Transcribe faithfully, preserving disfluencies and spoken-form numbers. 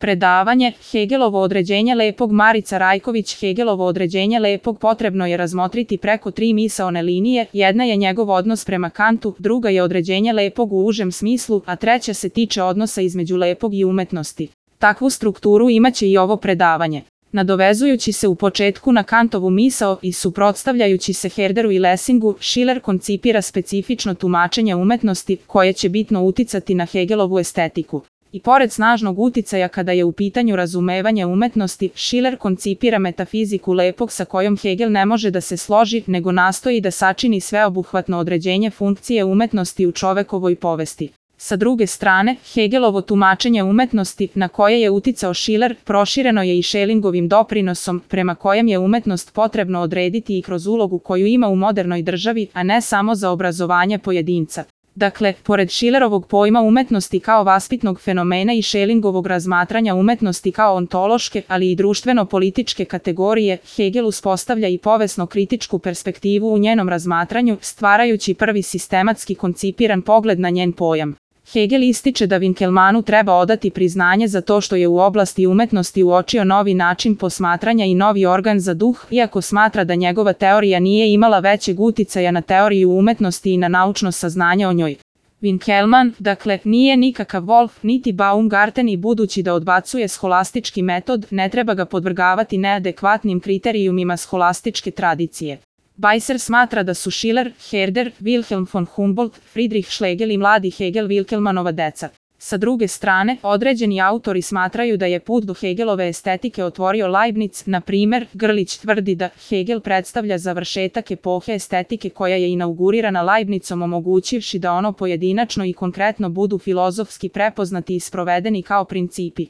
Predavanje Hegelovo određenje lepog. Marica Rajković. Hegelovo određenje lepog potrebno je razmotriti preko tri misaone linije. Jedna je njegov odnos prema Kantu, druga je određenje lepog u užem smislu, a treća se tiče odnosa između lepog i umetnosti. Takvu strukturu imaće i ovo predavanje. Nadovezujući se u početku na Kantovu misao i suprotstavljajući se Herderu i Lessingu, Schiller koncipira specifično tumačenje umetnosti koje će bitno uticati na Hegelovu estetiku. I pored snažnog uticaja kada je u pitanju razumevanje umetnosti, Schiller koncipira metafiziku lepog sa kojom Hegel ne može da se složi, nego nastoji da sačini sveobuhvatno određenje funkcije umetnosti u čovekovoj povesti. Sa druge strane, Hegelovo tumačenje umetnosti, na koje je uticao Schiller, prošireno je i Schellingovim doprinosom, prema kojem je umetnost potrebno odrediti i kroz ulogu koju ima u modernoj državi, a ne samo za obrazovanje pojedinca. Dakle, pored Schillerovog pojma umetnosti kao vaspitnog fenomena i Schellingovog razmatranja umetnosti kao ontološke, ali i društveno-političke kategorije, Hegel uspostavlja i povesno-kritičku perspektivu u njenom razmatranju, stvarajući prvi sistematski koncipiran pogled na njen pojam. Hegel ističe da Winkelmannu treba odati priznanje za to što je u oblasti umetnosti uočio novi način posmatranja i novi organ za duh, iako smatra da njegova teorija nije imala većeg uticaja na teoriju umetnosti i na naučno saznanje o njoj. Winkelmann, dakle, nije nikakav Wolf, niti Baumgarten i budući da odbacuje scholastički metod, ne treba ga podvrgavati neadekvatnim kriterijumima scholastičke tradicije. Bajser smatra da su Schiller, Herder, Wilhelm von Humboldt, Friedrich Schlegel i mladi Hegel Winkelmannova deca. Sa druge strane, određeni autori smatraju da je put do Hegelove estetike otvorio Leibniz, na primer, Grlić tvrdi da Hegel predstavlja završetak epohe estetike koja je inaugurirana Leibnizom omogućivši da ono pojedinačno i konkretno budu filozofski prepoznati i sprovedeni kao principi.